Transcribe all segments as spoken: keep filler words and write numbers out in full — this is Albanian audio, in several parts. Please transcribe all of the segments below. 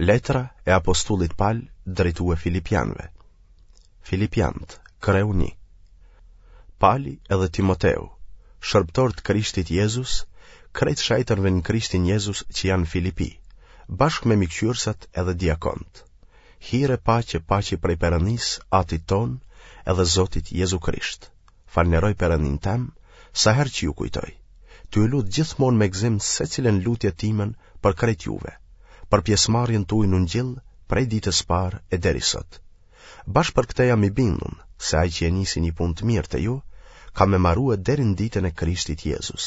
Letra e apostullit Pal drejtue Filipianëve. Filipianët, kreu një. Pali edhe Timoteu, shërbëtorë të Krishtit Jezus, krejt shejtërve në Krishtin Jezus që janë në Filipi, bashkë me mikqyrsat edhe diakont. Hir e paqe paçi prej Perëndisë, Atit tonë, edhe Zotit Jezu Krisht. Falneroj Perëndinë tem, sa herë që ju kujtoj. Tu ju lut gjithmonë me gëzim secilën lutje timen për krejt juve, për pjesëmarrjen tuaj në ungjill prej ditës parë e deri sot. Bash për këtë jam i bindun, se ai që e nisi një punë të mirë te ju, ka me marue deri në ditën e Krishtit Jezus.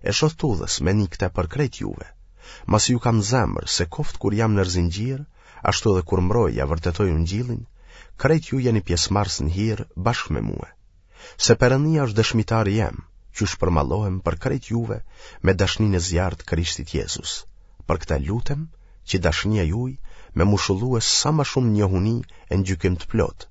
E shoh t'udhës me ni këtë për krejt juve, masi ju kam zemër se koftë kur jam nër zinxhir, ashtu edhe kur mbroj ja vërtetoj ungjillin, krejt ju jeni pjesëmarrës në hir bashkë me mue. Se Perëndia është dëshmitari jem, qysh përmallohem për krejt juve me dashninë e zjarrtë të Krishtit Jezus. Për këtë lutem që dashnia juaj me mushullue sa ma shumë njohuni e në gjykim të plotë,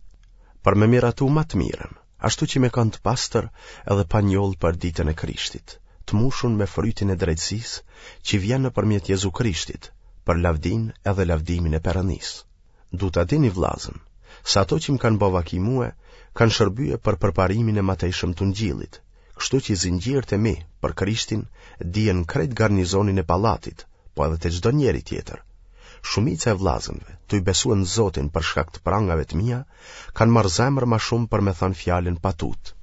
për me miratu ma të mirën, ashtu që me kanë të pastër edhe pa njollë për ditën e Krishtit, të mushun me frytin e drejtësisë që vjen nëpërmjet Jezu Krishtit, për lavdinë edhe lavdimin e Perëndisë. Du ta dini vllazën, se ato që më kanë bo vaki mue, kanë shërbye për përparimin e matejshëm të ungjillit, kështu që zinxhirët e mi për Krishtin dihen krejt garnizonin e pallatit, po edhe te çdo njeri tjetër. Shumica e vllazënve, tuj besue në Zotin për shkak të prangave të mia, kanë marrë zemër ma shumë për me thanë fjalën pa tutë.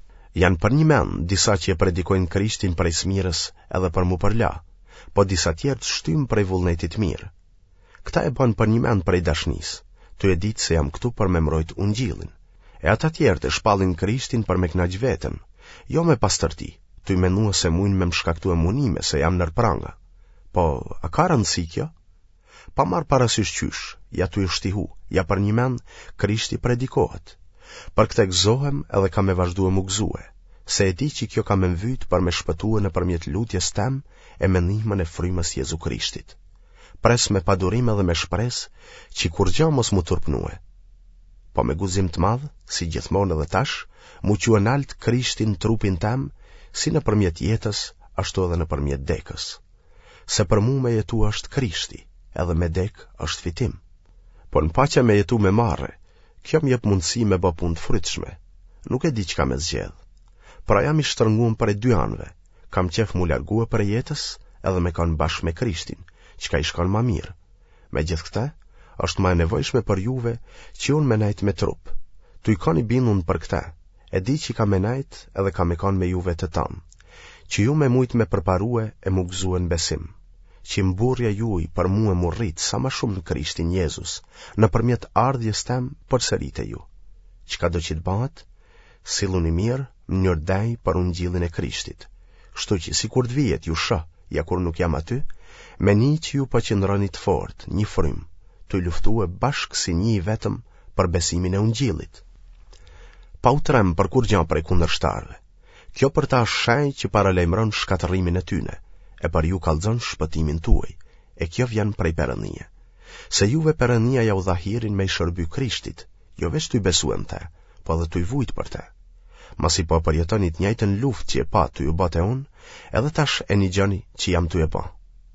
Janë përnjëmend disa që e predikojnë Krishtin prej smirës edhe për mu përla, po disa tjerë të shtymë prej vullnetit mirë. Këta e bënë përnjëmend prej dashnisë, tu e ditë se jam këtu për me mbrojt ungjillin. E ata tjerët e shpallin Krishtin për me kënaq veten, jo me pastërti, tuj menue se mujnë me më shkaktue munime se jam nër pranga. Po, a ka rëndësi kjo? Pa marrë parasysh qysh, ja tuj u shtihu, ja përnjëmend, Krishti predikohet. Për këtë gëzohem edhe kam me vazhdue mu gëzue, se e di që kjo ka me mvyt për me shpëtue nëpërmjet lutjes tem e me ndihmën e frymës Jezu Krishtit. Pres me padurim edhe me shpresë që kurgja mos mu turpnue. Po me guxim të madh, si gjithmonë edhe tash, mu çue nalt Krishti në trupin tem, si nëpërmjet jetës, ashtu edhe nëpërmjet dekës. Se për mu me jetu është Krishti, edhe me dek është fitim. Po në paça me jetu me marre, kjo më jep mundësi me bë punë të frytshme. Nuk e di çka me zgjedh. Pra jam i shtërnguar prej dy anëve. Kam qef mu largue prej jetës edhe me kanë bashkë me Krishtin, çka i shkon ma mirë. Me gjithë këtë, është ma e nevojshme për juve që unë me nejt me trup. Tuj kanë i bindun për këtë, e di që ka me nejt edhe ka me kanë me juve të tanë, që ju me mujt me përparue e mu gëzue në besim, që mburrja juaj për mue mu rrit sa ma shumë në Krishtin Jezus, nëpërmjet ardhjes tem përsëri te ju. Çka do që të bëhet, silluni mirë në mënyrë denjë për ungjillin e Krishtit. Kështu që sikur të vijet ju shoh, ja kur nuk jam aty, me ni që ju po qëndroni të fort, një frymë, tuj luftue bashkë si një i vetëm për besimin e ungjillit. Pa u trem për kurgja prej kundërshtarëve. Kjo për ta është shenjë që paralajmëron shkatërrimin e tyne, e për ju kallxon shpëtimin tuaj, e kjo vjen prej Perëndie. Se juve Perëndia ja u dha hirin me i shërby Krishtit, jo veç tuj besue në te, po edhe tuj vujt për te. Masi po përjetoni të njëjtën luftë që e pa tuj u bë te unë, edhe tash e nigjoni që jam tuj e bë.